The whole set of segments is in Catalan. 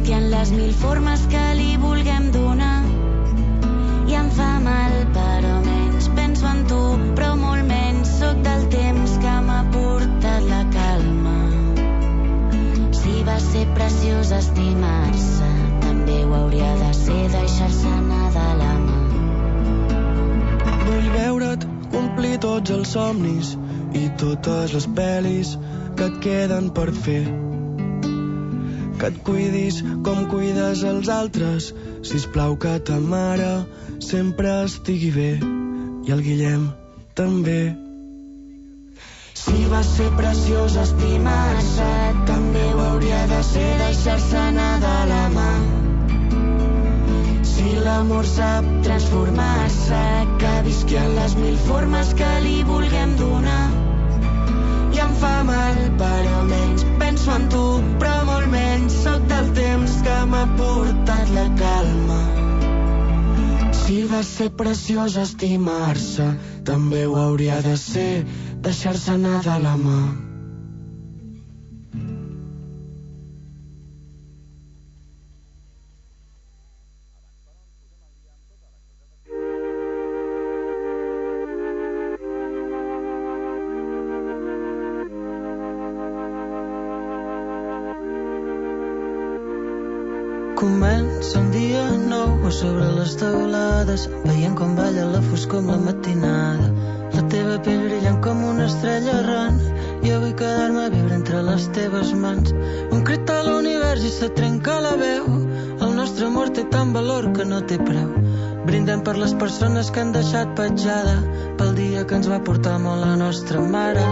visqui en les mil formes que li vulguem donar. I em fa mal, però menys penso en tu, però molt menys sóc del temps que m'ha portat la calma. Si va ser preciós estimar-se, també ho hauria de ser deixar-se anar de la mà. Vull veure't complir tots els somnis i totes les pel·lis que et queden per fer. Que et cuidis com cuides els altres, sisplau que ta mare sempre estigui bé i el Guillem també. Si va ser preciós estimar-se, també ho hauria de ser deixar-se anar de la mà. Si l'amor sap transformar-se, que visqui en les mil formes que li vulguem donar. I em fa mal, però menys penso en tu, però molt menys sóc del temps que m'ha portat la calma. Si va ser preciós estimar-se, també ho hauria de ser deixar-se anar de la mà. Comença un dia nou a sobre les teulades, veient com balla la foscor amb la matinada. La teva pell brillant com una estrella errant, jo vull quedar-me a viure entre les teves mans. Un crit a l'univers i se trenca la veu, el nostre amor té tant valor que no té preu. Brindem per les persones que han deixat petjada, pel dia que ens va portar molt la nostra mare.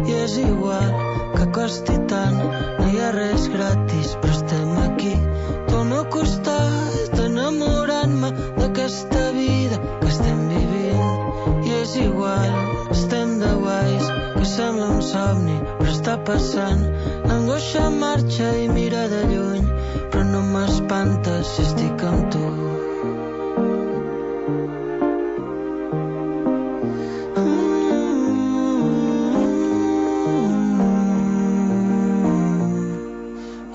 I és igual que costi tant, no hi ha res gratis, però estem aquí al meu costat, enamorant-me d'aquesta vida que estem vivint. I és igual, estem de guais, que sembla un somni, però està passant. L'angoixa marxa i mira de lluny, però no m'espanta si estic amb tu.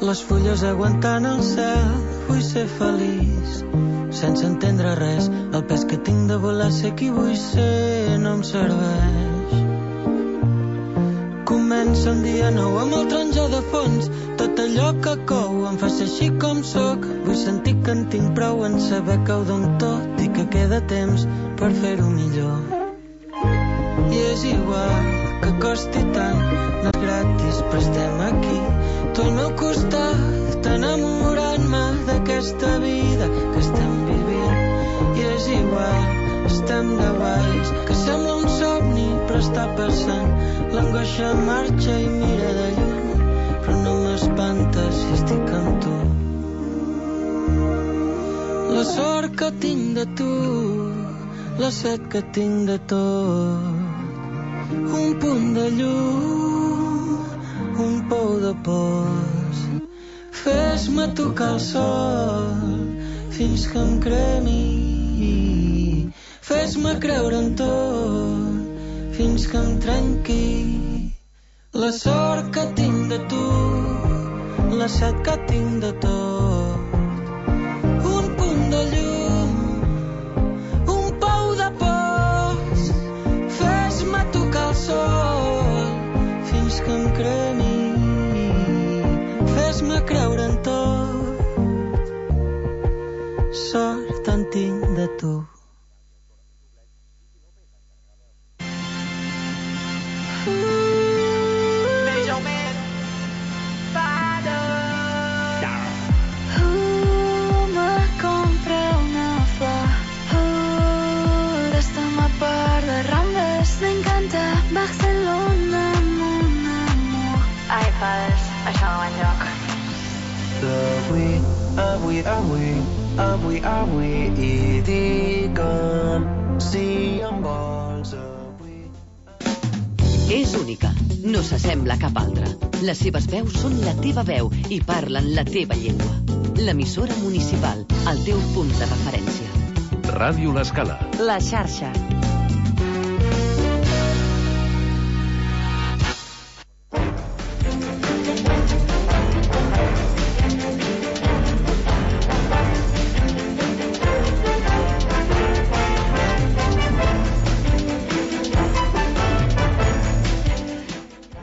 Les fulles aguantant el cel, vull ser feliç, sense entendre res. El pes que tinc de volar ser qui vull ser no em serveix. Comença un dia nou amb el taronja de fons, tot allò que cou em fa ser així com sóc. Vull sentir que en tinc prou en saber que ho dono tot i que queda temps per fer-ho millor. I és igual que costi tant, no és gratis però estem aquí, tu al meu costat, enamorant-me d'aquesta vida que estem vivint. I és igual, estem de guais, que sembla un somni però està passant. L'angoixa marxa i mira de lluny, però no m'espanta si estic amb tu. La sort que tinc de tu, la set que tinc de tot, un punt de llum, un pou de pols. Fes-me tocar el sol fins que em cremi, fes-me creure en tot fins que em trenqui. La sort que tinc de tu, la set que tinc de tot, un punt de llum, un pou de pols. Fes-me tocar el sol fins que em cremi, fes-me creure en tot. Sort en tinc de tu. Avui i digue'm si em vols avui. És única, no s'assembla a cap altra. Les seves veus són la teva veu i parlen la teva llengua. L'emissora municipal, el teu punt de referència. Ràdio L'Escala. La xarxa.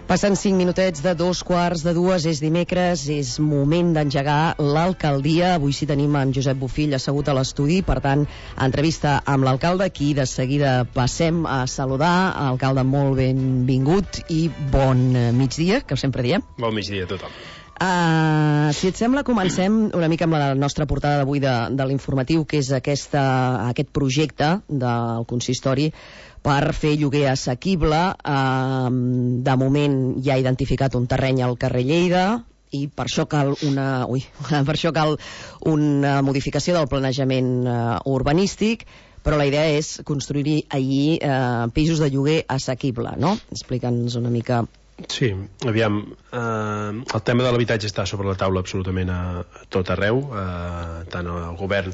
Passen 5 minutets de 2:45, és dimecres, és moment d'engegar l'alcaldia. Avui sí tenim en Josep Bofill assegut a l'estudi, per tant, entrevista amb l'alcalde, qui de seguida passem a saludar. Alcalde, molt benvingut i bon migdia, que sempre diem. Bon migdia a tothom. Si et sembla, comencem una mica amb la nostra portada d'avui de l'informatiu, que és aquest projecte del consistori per fer lloguer assequible. De moment ja ha identificat un terreny al carrer Lleida i per això cal una modificació del planejament urbanístic, però la idea és construir allí pisos de lloguer assequible, no? Explica'ns una mica. Sí, aviam, el tema de l'habitatge està sobre la taula absolutament a tot arreu, tant al govern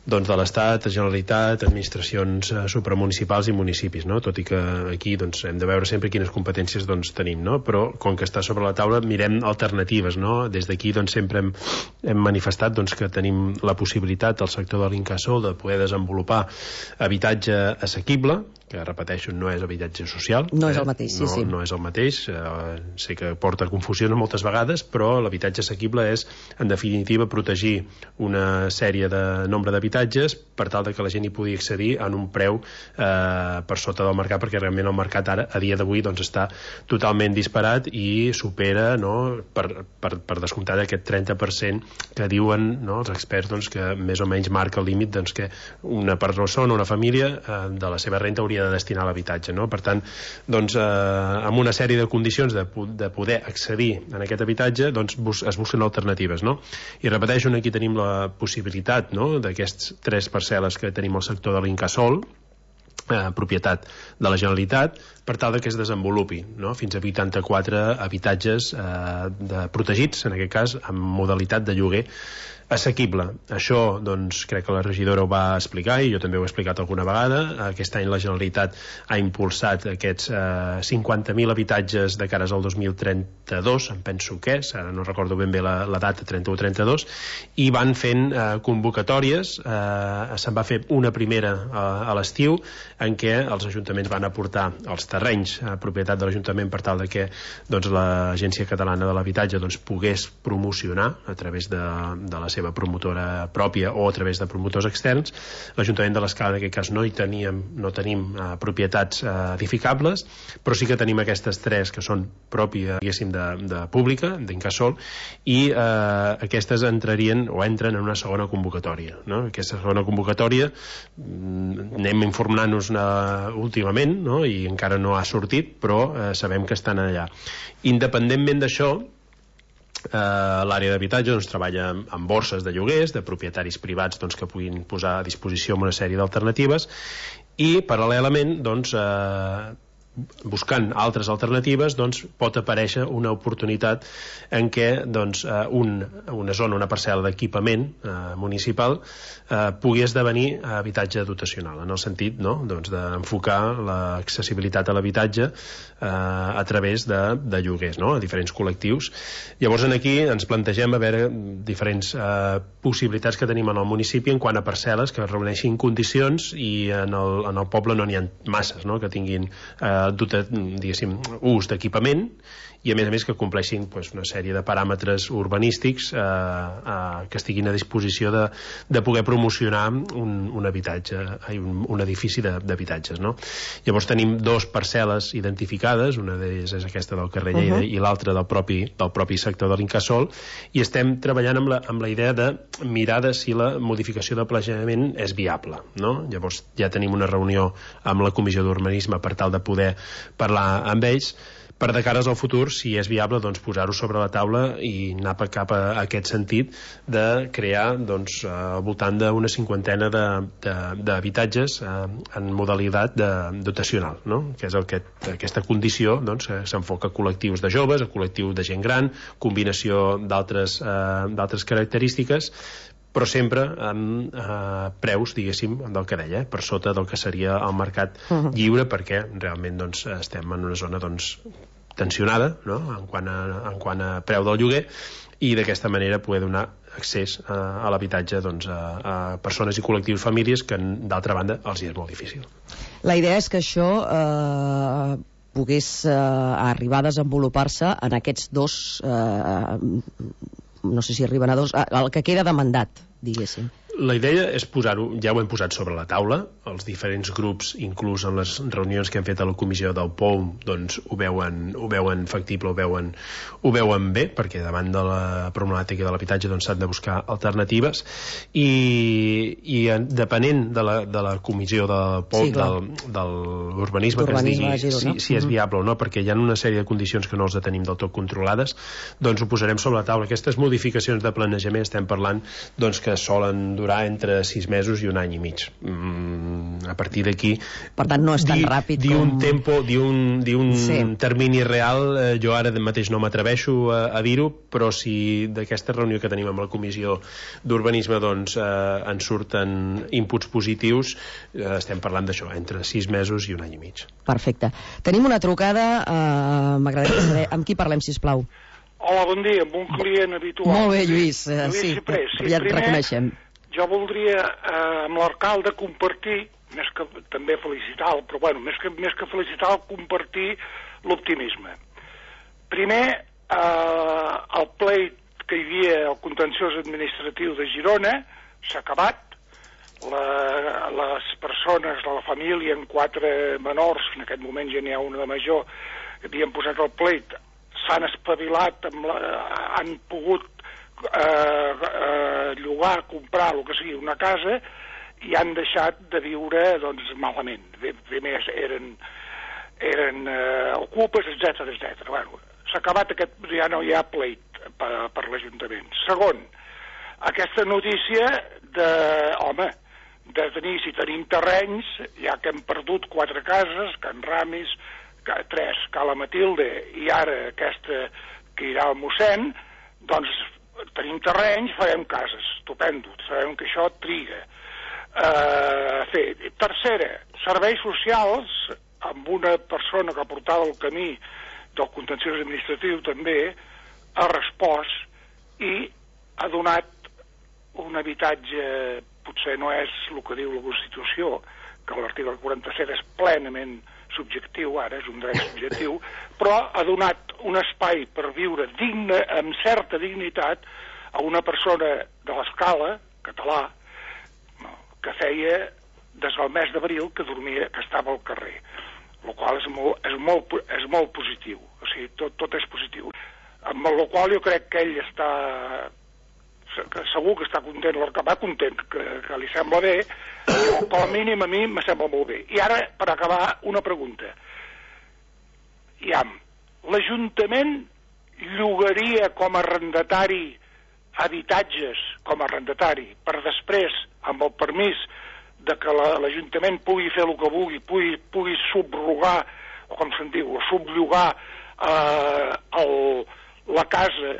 de l'Estat, Generalitat, administracions supramunicipals i municipis, no? Tot i que aquí hem de veure sempre quines competències tenim, no? Però com que està sobre la taula mirem alternatives, no? Des d'aquí sempre hem manifestat que tenim la possibilitat al sector de l'Incasòl de poder desenvolupar habitatge assequible, que repeteixo, no és habitatge social. No és el mateix, sí. No és el mateix, sé que porta confusió moltes vegades, però l'habitatge assequible és, en definitiva, protegir una sèrie de nombre d'habitatges per tal que la gent hi pugui accedir en un preu per sota del mercat, perquè realment el mercat ara, a dia d'avui, està totalment disparat i supera, no, per descomptar aquest 30% que diuen, no, els experts que més o menys marca el límit que una persona, una família, de la seva renta hauria de destinar a l'habitatge, no? Per tant, amb una sèrie de condicions de poder accedir en aquest habitatge, es busquen alternatives, no? I repeteixo, aquí tenim la possibilitat, no?, d'aquests 3 parcel·les que tenim al sector de l'Incasòl, propietat de la Generalitat, per tal que es desenvolupi, no?, fins a 84 habitatges protegits, en aquest cas, amb modalitat de lloguer assequible. Això, crec que la regidora ho va explicar i jo també ho he explicat alguna vegada. Aquest any la Generalitat ha impulsat aquests 50.000 habitatges de cares al 2032, em penso que és, ara no recordo ben bé la data, 31-32, i van fent convocatòries. Se'n va fer una primera a l'estiu, en què els ajuntaments van aportar els terrenys a propietat de l'Ajuntament per tal que l'Agència Catalana de l'Habitatge pogués promocionar a través de la seva promotora pròpia o a través de promotors externs. L'Ajuntament de l'Escala, en aquest cas, no tenim propietats edificables, però sí que tenim aquestes 3 que són pròpia, diguéssim, de pública, d'Incasòl, i aquestes entren en una segona convocatòria, no? Aquesta segona convocatòria anem informant-nos últimament, no? I encara no ha sortit, però sabem que estan allà. Independentment d'això, l'àrea d'habitatge treballa amb borses de lloguers de propietaris privats que puguin posar a disposició una sèrie d'alternatives, i paral·lelament buscant altres alternatives pot aparèixer una oportunitat en què una zona, una parcel·la d'equipament municipal pugui esdevenir habitatge dotacional, en el sentit d'enfocar l'accessibilitat a l'habitatge a través de lloguers, a diferents col·lectius. Llavors aquí ens plantegem a veure diferents possibilitats que tenim en el municipi en quant a parcel·les que reuneixin condicions, i en el poble no n'hi ha masses que tinguin diguéssim, ús d'equipament, i a més que compleixin una sèrie de paràmetres urbanístics que estiguin a disposició de poder promocionar un habitatge, un edifici d'habitatges, no? Llavors tenim 2 parcel·les identificades, una d'elles és aquesta del carrer Lleida i l'altra del propi sector de l'Incasòl, i estem treballant amb la idea de mirar si la modificació del planejament és viable, no? Llavors ja tenim una reunió amb la Comissió d'Urbanisme per tal de poder parlar amb ells, per de cares al futur, si és viable, posar-ho sobre la taula i anar cap a aquest sentit de crear al voltant d'una 50ena d'habitatges en modalitat dotacional, no? Que és aquesta condició que s'enfoca a col·lectius de joves, a col·lectius de gent gran, combinació d'altres característiques, però sempre amb preus, diguéssim, del que deia, per sota del que seria el mercat lliure, perquè realment estem en una zona tensionada, no?, en quant a preu del lloguer, i d'aquesta manera poder donar accés a l'habitatge a persones i col·lectius, famílies, que d'altra banda els hi és molt difícil. La idea és que això pogués arribar a desenvolupar-se en aquests dos, no sé si arriben a dos, el que queda de mandat, diguéssim. La idea és posar-ho, ja ho hem posat sobre la taula, els diferents grups, inclús en les reunions que hem fet a la comissió del POUM, doncs ho veuen factible, ho veuen bé, perquè davant de la problemàtica de l'habitatge doncs s'han de buscar alternatives, i depenent de la comissió del POUM, sí, de l'urbanisme, que ens digui si és viable o no, perquè hi ha una sèrie de condicions que no els tenim del tot controlades, doncs ho posarem sobre la taula. Aquestes modificacions de planejament estem parlant doncs que solen durar entre 6 mesos i 1 any i mig. A partir d'aquí, per tant no és tan ràpid com... dir un termini real, jo ara mateix no m'atreveixo a dir-ho, però si d'aquesta reunió que tenim amb la comissió d'urbanisme doncs en surten inputs positius, estem parlant d'això, entre 6 mesos i 1 any i mig. Perfecte. Tenim una trucada, m'agradaria saber amb qui parlem, sisplau. Hola, bon dia, amb un client habitual. Molt bé, Lluís, sí, ja et reconeixem. Jo voldria amb l'alcalde compartir, més que també felicitar-lo, però bueno, més que felicitar-lo, compartir l'optimisme. Primer, el pleit que hi havia al contenciós administratiu de Girona s'ha acabat. Les persones de la família, en 4 menors, en aquest moment ja n'hi ha una de major, que havien posat el pleit, s'han espavilat, han pogut llogar, comprar, el que sigui, una casa, i han deixat de viure doncs malament. Primer eren ocupes, etc. Bueno, s'ha acabat aquest, ja no hi ha pleit per l'Ajuntament. Segon, aquesta notícia de tenir, si tenim terrenys, ja que hem perdut 4 cases, Can Ramis, 3, Cala Matilde, i ara aquesta que irà al mossèn, doncs tenim terrenys, farem cases, estupendo, sabem que això triga. Tercera, serveis socials, amb una persona que portava el camí del contenciós administratiu també, ha respost i ha donat un habitatge, potser no és el que diu la Constitució, que l'article 47 és plenament subjectiu, ara és un dret subjectiu, però ha donat un espai per viure digne, amb certa dignitat, a una persona de l'Escala, català, que feia des del mes d'abril que dormia, que estava al carrer, el qual és molt positiu, o sigui, tot és positiu. Amb el qual jo crec que ell està, segur que està content, va content, que li sembla bé, però com a mínim a mi me sembla molt bé. I ara, per acabar, una pregunta. L'Ajuntament llogaria com a arrendatari habitatges com a arrendatari per després, amb el permís de que l'Ajuntament pugui fer el que vulgui, pugui subrogar, o com se'n diu, subllogar la casa,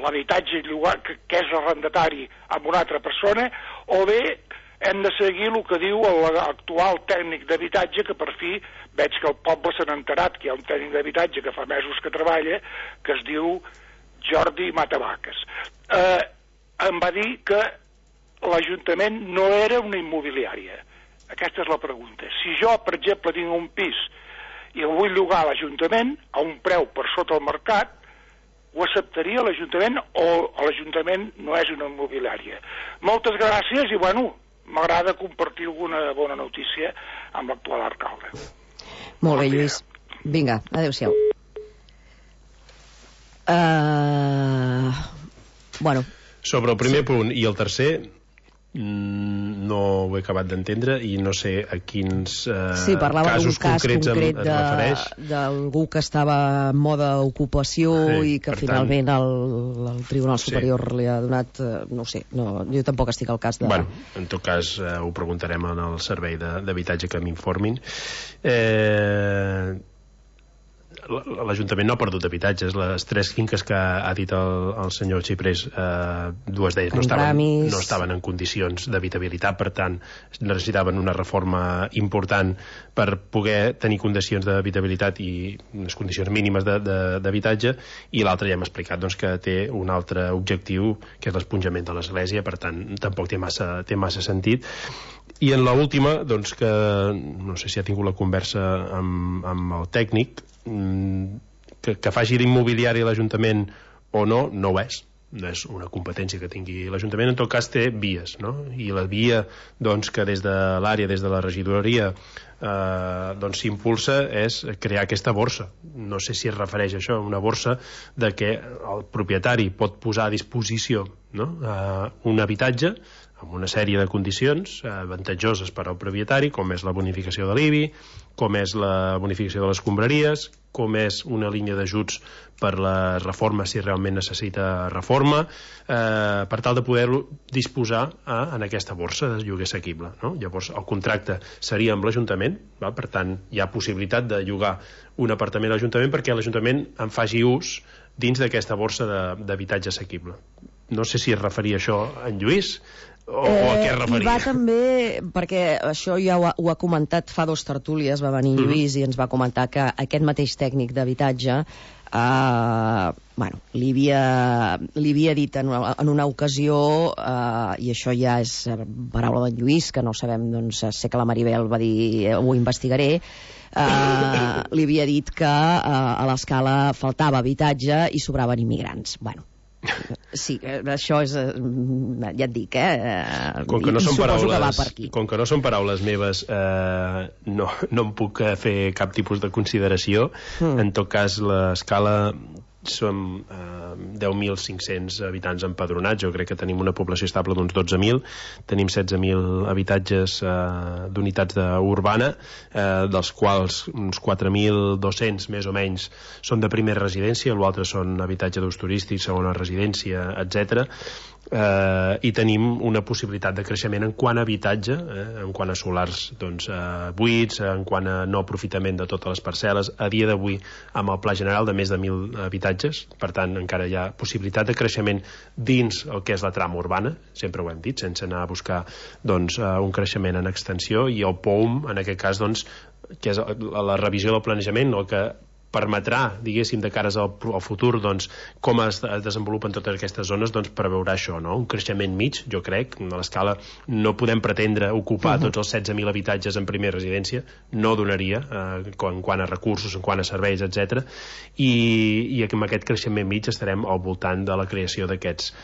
l'habitatge que és arrendatari amb una altra persona, o bé hem de seguir el que diu l'actual tècnic d'habitatge, que per fi veig que el poble se n'ha enterat que hi ha un tècnic d'habitatge que fa mesos que treballa, que es diu Jordi Matavaques. Em va dir que l'Ajuntament no era una immobiliària. Aquesta és la pregunta. Si jo, per exemple, tinc un pis i el vull llogar a l'Ajuntament a un preu per sota el mercat, ho acceptaria l'Ajuntament o l'Ajuntament no és una immobiliària? Moltes gràcies i, bueno, m'agrada compartir alguna bona notícia amb l'actual alcalde. Molt bé, Lluís. Vinga, adéu-siau. Bueno. Sobre el primer punt i el tercer no ho he acabat d'entendre i no sé a quins casos concrets em refereix. D'algú que estava en moda ocupació i que finalment el Tribunal Superior li ha donat, no sé, jo tampoc estic al cas de... Bueno, en tot cas ho preguntarem en el servei d'habitatge que m'informin. l'Ajuntament no ha perdut habitatges. Les 3 finques que ha dit el senyor Xiprés, 2 d'elles no estaven en condicions d'habitabilitat, per tant necessitaven una reforma important per poder tenir condicions d'habitabilitat i unes condicions mínimes d'habitatge, i l'altre ja hem explicat que té un altre objectiu, que és l'esponjament de l'església, per tant tampoc té massa sentit. I en l'última, que no sé si ha tingut la conversa amb el tècnic, que faci l'immobiliari a l'Ajuntament o no ho és. No és una competència que tingui l'Ajuntament. En tot cas té vies, no? I la via que des de l'àrea, des de la regidoria s'impulsa és crear aquesta borsa. No sé si es refereix a això, una borsa de que el propietari pot posar a disposició, no? Un habitatge amb una sèrie de condicions avantatjoses per al propietari, com és la bonificació de l'IBI, com és la bonificació de les escombraries, com és una línia d'ajuts per la reforma si realment necessita reforma, per tal de poder-lo disposar en aquesta borsa de lloguer assequible, no? Llavors el contracte seria amb l'Ajuntament, per tant hi ha possibilitat de llogar un apartament a l'Ajuntament perquè l'Ajuntament en faci ús dins d'aquesta borsa d'habitatge assequible. No sé si es referia això en Lluís o a què es referia. I va també, perquè això ja ho ha comentat fa 2 tertúlies, va venir Lluís i ens va comentar que aquest mateix tècnic d'habitatge li havia dit en una ocasió, i això ja és paraula d'en Lluís, que no sabem, sé que la Maribel va dir ho investigaré, li havia dit que a l'Escala faltava habitatge i sobraven immigrants. Sí, això és, ja et dic, com que no són suposo que va per aquí. Com que no són paraules meves, no em puc fer cap tipus de consideració. En tot cas, l'Escala som 10.500 habitants empadronats. Jo crec que tenim una població estable d'uns 12.000. Tenim 16.000 habitatges d'unitats urbana, dels quals uns 4.200 més o menys són de primera residència, l'altre són habitatge d'ús turístic, segona residència, etc. I tenim una possibilitat de creixement en quant a habitatge, en quant a solars buits, en quant a no aprofitament de totes les parcel·les, a dia d'avui amb el Pla General de més de 1.000 habitatges. Per tant encara hi ha possibilitat de creixement dins el que és la trama urbana, sempre ho hem dit, sense anar a buscar un creixement en extensió, i el POUM en aquest cas que és la revisió del planejament, el que permetrà, diguéssim, de cares al futur, com es desenvolupen totes aquestes zones, preveurà això, no? Un creixement mig, jo crec. A l'Escala no podem pretendre ocupar tots els 16.000 habitatges en primera residència, no donaria, en quant a recursos, en quant a serveis, etc. I amb aquest creixement mig estarem al voltant de la creació d'aquests,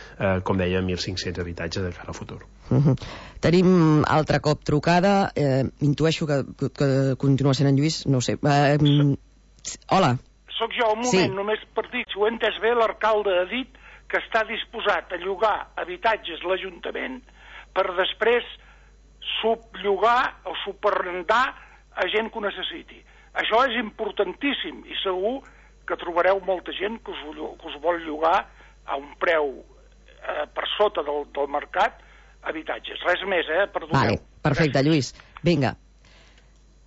com deia, 1.500 habitatges de cara al futur. Tenim altre cop trucada, intueixo que continua sent en Lluís, no ho sé. Hola. Soc jo, un moment, només per dir, si ho he entès bé, l'alcalde ha dit que està disposat a llogar habitatges l'Ajuntament per després subllogar o superrendar a gent que ho necessiti. Això és importantíssim i segur que trobareu molta gent que us vol llogar a un preu per sota del mercat habitatges. Res més, perdoneu. Vale, perfecte, Lluís. Vinga.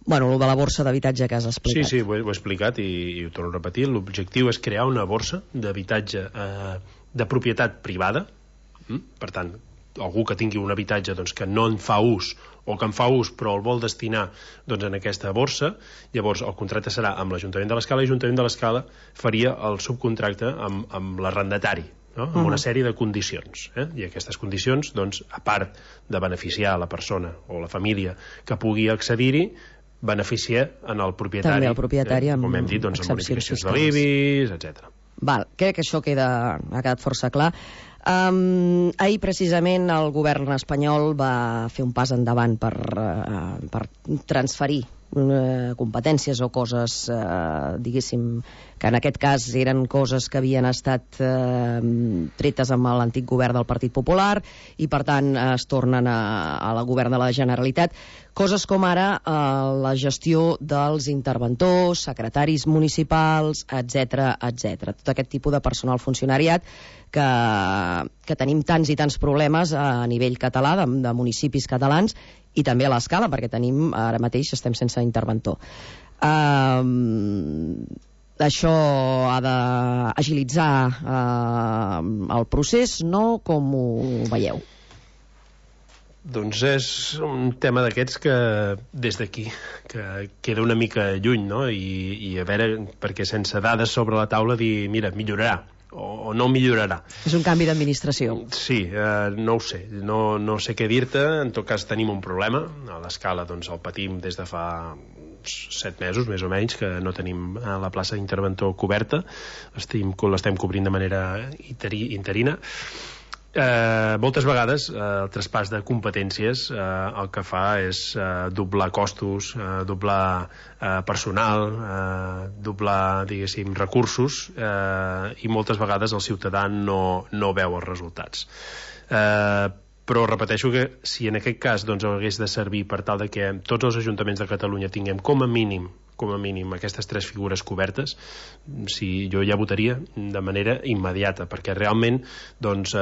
Bueno, el de la borsa d'habitatge que has explicat. Sí, ho he explicat i ho torno a repetir. L'objectiu és crear una borsa d'habitatge de propietat privada. Per tant, algú que tingui un habitatge que no en fa ús o que en fa ús però el vol destinar en aquesta borsa. Llavors el contracte serà amb l'Ajuntament de l'Escala i l'Ajuntament de l'Escala faria el subcontracte amb l'arrendatari, no? Amb una sèrie de condicions, i aquestes condicions, a part de beneficiar la persona o la família que pugui accedir-hi, beneficia en el propietari. També el propietari amb com hem dit, amb bonificacions de l'IBI, etc. Crec que això ha quedat força clar. Ahir precisament el govern espanyol va fer un pas endavant per transferir competències o coses, diguéssim, que en aquest cas eren coses que havien estat tretes amb l'antic govern del Partit Popular i per tant es tornen a la govern de la Generalitat, coses com ara la gestió dels interventors, secretaris municipals, etc. Tot aquest tipus de personal funcionariat que tenim tants i tants problemes a nivell català, de municipis catalans, i també a l'Escala, perquè ara mateix estem sense interventor. Això ha d'agilitzar el procés, no? Com ho veieu? Doncs és un tema d'aquests que des d'aquí que queda una mica lluny, no? I a veure, perquè sense dades sobre la taula dir, mira, millorarà o no millorarà. És un canvi d'administració. Sí, no ho sé, no sé què dir-te. En tot cas tenim un problema a l'Escala, doncs el patim des de fa 7 mesos més o menys, que no tenim la plaça d'interventor coberta, l'estem cobrint de manera interina. Moltes vegades el traspàs de competències el que fa és doblar costos, doblar personal, doblar, diguéssim, recursos, i moltes vegades el ciutadà no veu els resultats. Però repeteixo que si en aquest cas doncs, hagués de servir per tal de que tots els ajuntaments de Catalunya tinguem com a mínim aquestes 3 figures cobertes, si jo ja votaria de manera immediata, perquè realment doncs,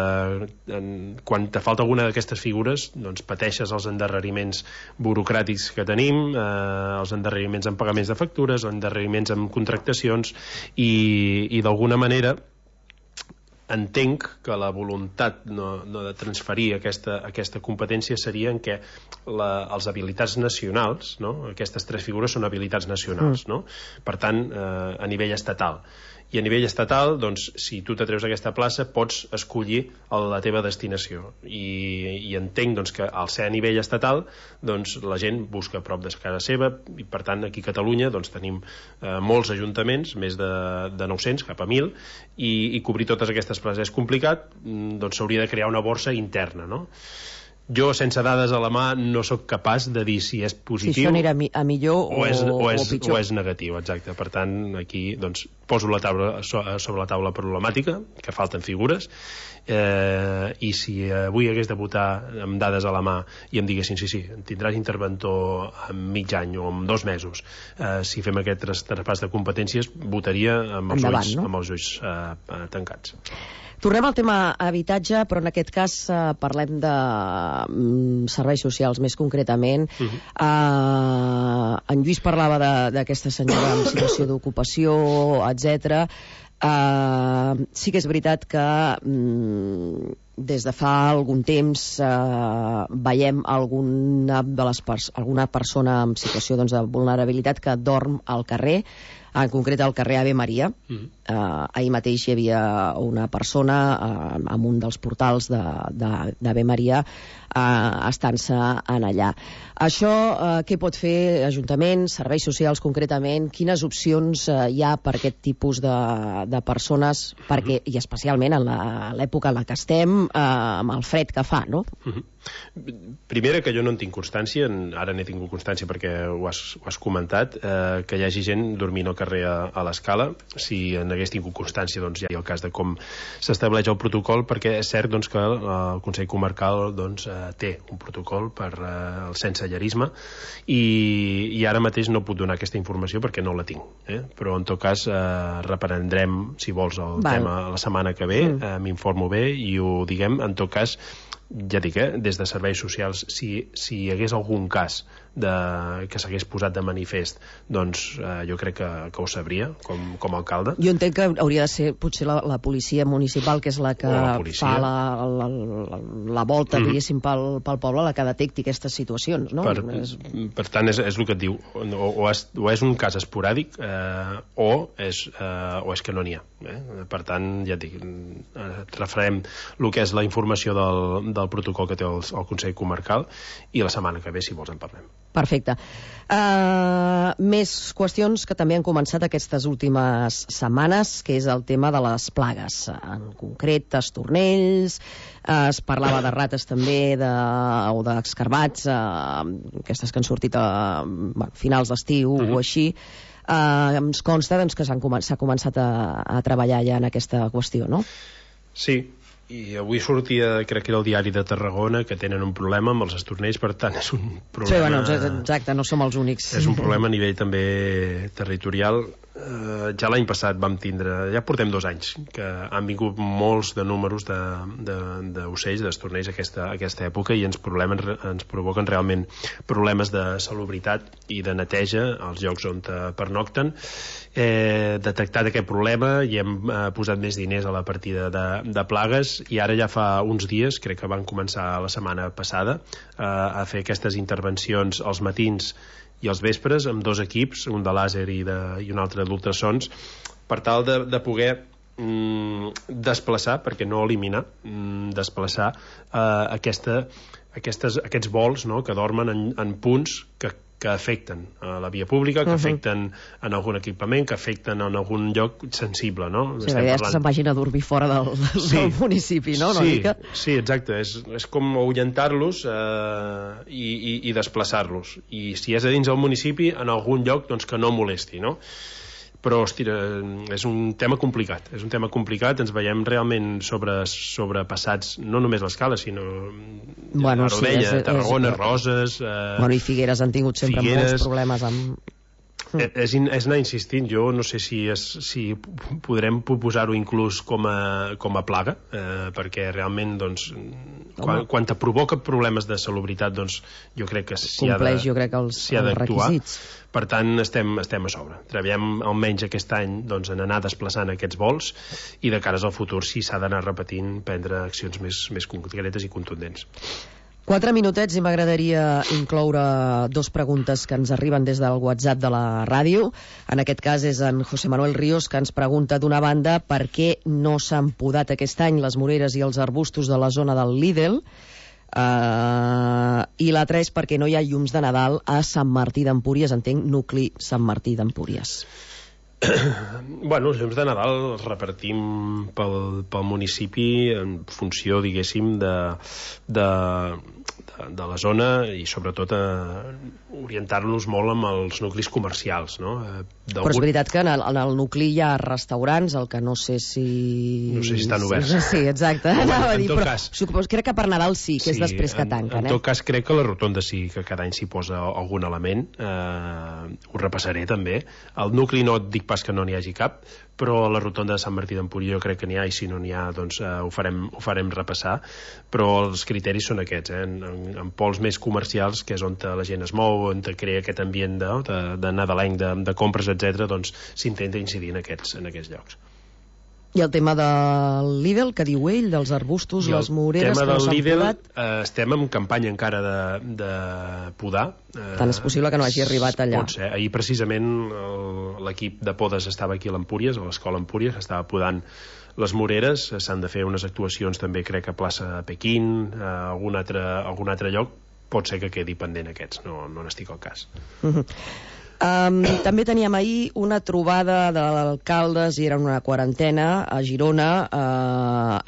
quan te falta alguna d'aquestes figures doncs, pateixes els endarreriments burocràtics que tenim, els endarreriments en pagaments de factures, endarreriments en contractacions, i d'alguna manera entenc que la voluntat no de transferir aquesta competència seria en què les habilitats nacionals, no? Aquestes 3 figures són habilitats nacionals, no? Per tant, a nivell estatal. I a nivell estatal, doncs, si tu t'atreus a aquesta plaça, pots escollir la teva destinació. I entenc doncs, que al ser a nivell estatal, doncs, la gent busca a prop de casa seva, i per tant aquí a Catalunya doncs, tenim molts ajuntaments, més de 900, cap a 1.000, i cobrir totes aquestes places és complicat, doncs s'hauria de crear una borsa interna, no? Jo, sense dades a la mà, no sóc capaç de dir si és positiu... Si això anirà a millor o pitjor. O és negatiu, exacte. Per tant, aquí doncs, poso sobre la taula problemàtica, que falten figures, i si avui hagués de votar amb dades a la mà i em diguessin, sí, tindràs interventor en mig any o en 2 mesos, si fem aquest traspàs de competències, votaria amb els ulls tancats. Tornem al tema habitatge, però en aquest cas parlem de serveis socials més concretament. En Lluís parlava d'aquesta senyora en situació d'ocupació, etc. Sí que és veritat que des de fa algun temps veiem alguna persona en situació doncs, de vulnerabilitat que dorm al carrer, en concret al carrer Ave Maria. Ahir mateix hi havia una persona en un dels portals d'Ave Maria estant-se en allà. Això què pot fer l'Ajuntament, serveis socials concretament? Quines opcions hi ha per aquest tipus de persones, perquè, i especialment en l'època en la que estem, amb el fred que fa, no? Primera, que jo no en tinc constància, ara n'he tingut constància perquè ho has comentat, que hi hagi gent dormint al carrer a l'Escala. Si en hagués tingut constància, doncs ja hi ha el cas de com s'estableix el protocol, perquè és cert doncs, que el Consell Comarcal doncs, té un protocol per el sensellarisme, i ara mateix no puc donar aquesta informació perquè no la tinc, però en tot cas reprendrem, si vols, el tema la setmana que ve, m'informo bé i ho diguem. En tot cas, ja dic, des de serveis socials, si hi hagués algun cas que s'hagués posat de manifest, doncs jo crec que ho sabria com a alcalde. Jo entenc que hauria de ser potser la policia municipal, que és la que fa la volta, diguéssim, pel poble, la que detecti aquestes situacions, no? Per tant, és el que et diu, o és un cas esporàdic o és que no n'hi ha. Per tant, ja et dic, referem el que és la informació del protocol que té el Consell Comarcal, i la setmana que ve, si vols, en parlem. Perfecte. Més qüestions que també han començat aquestes últimes setmanes, que és el tema de les plagues. En concret, estornells, es parlava de rates també, o d'escarbats, aquestes que han sortit a finals d'estiu o així. Ens consta doncs, que s'ha començat a treballar ja en aquesta qüestió, no? Sí. I avui sortia, crec que era el diari de Tarragona, que tenen un problema amb els estornells, per tant és un problema... Sí, exacte, no som els únics. És un problema a nivell també territorial. ja l'any passat vam tindre, ja portem 2 anys que han vingut molts de números d'ocells, d'estornells aquesta època, i ens provoquen realment problemes de salubritat i de neteja als llocs on pernocten. Detectat aquest problema i hem posat més diners a la partida de plagues, i ara ja fa uns dies, crec que van començar la setmana passada, a fer aquestes intervencions als matins i els vespres amb 2 equips, un de làser i un altre d'ultrasons, per tal de poder desplaçar, perquè no eliminar, desplaçar aquests vols, no?, que dormen en punts que afecten a la via pública, que afecten en algun equipament, que afecten en algun lloc sensible, no? Sí, la idea és que se'n vagin a dormir fora del municipi, no? Sí, exacte. És com ahuyentar-los i desplaçar-los. I si és a dins del municipi, en algun lloc, doncs que no molesti, no? Però, hòstia, és un tema complicat. Ens veiem realment sobrepassats, no només l'Escala, sinó la Rodella, Tarragona, Roses... I Figueres han tingut sempre molts problemes amb... És anar insistint. Jo no sé si podrem proposar-ho inclús com a plaga, perquè realment, doncs, quan te provoca problemes de salubritat, doncs jo crec que s'hi ha d'actuar. Per tant, estem a sobre. Treballem almenys aquest any en anar desplaçant aquests vols, i de cares al futur, si s'ha d'anar repetint, prendre accions més concretes i contundents. 4 minutets i m'agradaria incloure 2 preguntes que ens arriben des del WhatsApp de la ràdio. En aquest cas és en José Manuel Ríos, que ens pregunta, d'una banda, per què no s'han podat aquest any les moreres i els arbustos de la zona del Lidl, i l'altra és perquè no hi ha llums de Nadal a Sant Martí d'Empúries, entenc, nucli Sant Martí d'Empúries. Bueno, els llums de Nadal els repartim pel municipi en funció, diguéssim, de la zona, i sobretot orientar-nos molt amb els nuclis comercials, no? Però és veritat que en el nucli hi ha restaurants, el que no sé si... No sé si estan oberts. Sí, exacte. Crec que per Nadal sí, que és després que tanquen. En tot cas, crec que la rotonda sí, que cada any s'hi posa algun element. Ho repassaré també. El nucli no et dic pas que no n'hi hagi cap, però a la rotonda de Sant Martí d'Empúries jo crec que n'hi ha, i si no n'hi ha, doncs ho farem repassar. Però els criteris són aquests, en pols més comercials, que és on la gent es mou, on crea aquest ambient de nadalenc, de compres, etc., doncs s'intenta incidir en aquests llocs. I el tema del Lidl, que diu ell, dels arbustos, les moreres que no s'han podat? Estem en campanya encara de podar. Tant és possible que no hagi arribat allà. Pot ser. Ahir precisament l'equip de podes estava aquí a l'Empúries, a l'escola Empúries, estava podant les moreres. S'han de fer unes actuacions també, crec, a plaça Pequín, a algun altre lloc. Pot ser que quedi pendent aquests, no n'estic al cas. També teníem ahir una trobada d'alcaldes, i era una quarantena a Girona.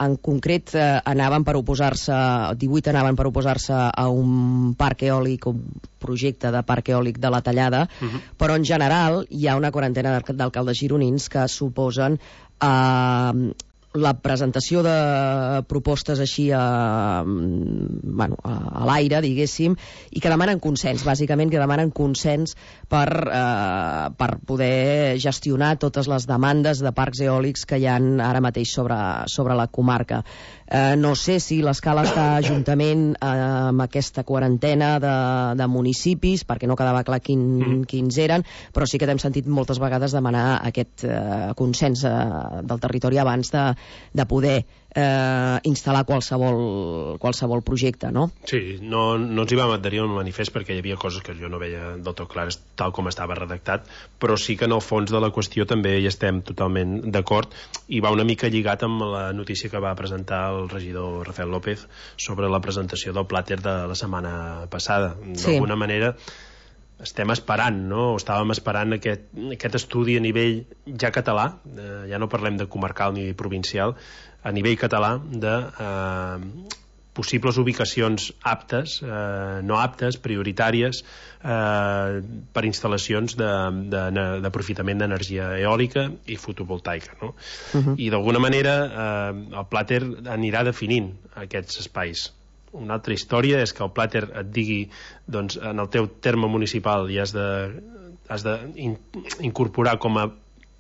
En concret 18 anaven per oposar-se a un parc eòlic, un projecte de parc eòlic de la Tallada, però en general hi ha una quarantena d'alcaldes gironins que s'oposen a la presentació de propostes així a l'aire, diguéssim, i que demanen consens, bàsicament, que demanen consens per poder gestionar totes les demandes de parcs eòlics que hi ha ara mateix sobre la comarca. No sé si l'Escala està juntament amb aquesta quarantena de municipis, perquè no quedava clar quins eren, però sí que t'hem sentit moltes vegades demanar aquest consens del territori abans de poder instal·lar qualsevol projecte, no? Sí, no ens hi vam adherir al manifest perquè hi havia coses que jo no veia del tot clares tal com estava redactat, però sí que en el fons de la qüestió també hi estem totalment d'acord, i va una mica lligat amb la notícia que va presentar el regidor Rafael López sobre la presentació del plàter de la setmana passada. D'alguna manera estem esperant, no? Estàvem esperant aquest estudi a nivell ja català, ja no parlem de comarcal ni provincial, a nivell català de possibles ubicacions aptes, no aptes, prioritàries per instal·lacions d'aprofitament d'energia eòlica i fotovoltaica, no? I d'alguna manera el plàter anirà definint aquests espais. Una altra història és que el plàter et digui, doncs, en el teu terme municipal i has d'incorporar com a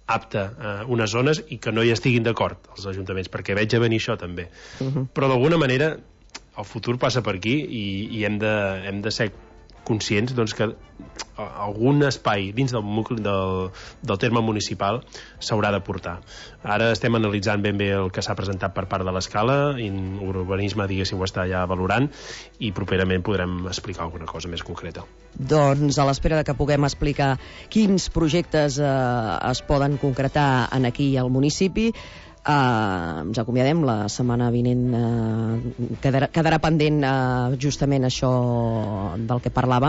apta unes zones i que no hi estiguin d'acord els ajuntaments, perquè veig a venir això també. Però d'alguna manera el futur passa per aquí i hem de ser conscients doncs, que algun espai dins del terme municipal s'haurà de portar. Ara estem analitzant ben bé el que s'ha presentat per part de l'Escala, i urbanisme, diguéssim, ho està ja valorant, i properament podrem explicar alguna cosa més concreta. Doncs a l'espera de que puguem explicar quins projectes es poden concretar aquí al municipi, ens acomiadem. La setmana vinent quedarà pendent justament això del que parlàvem.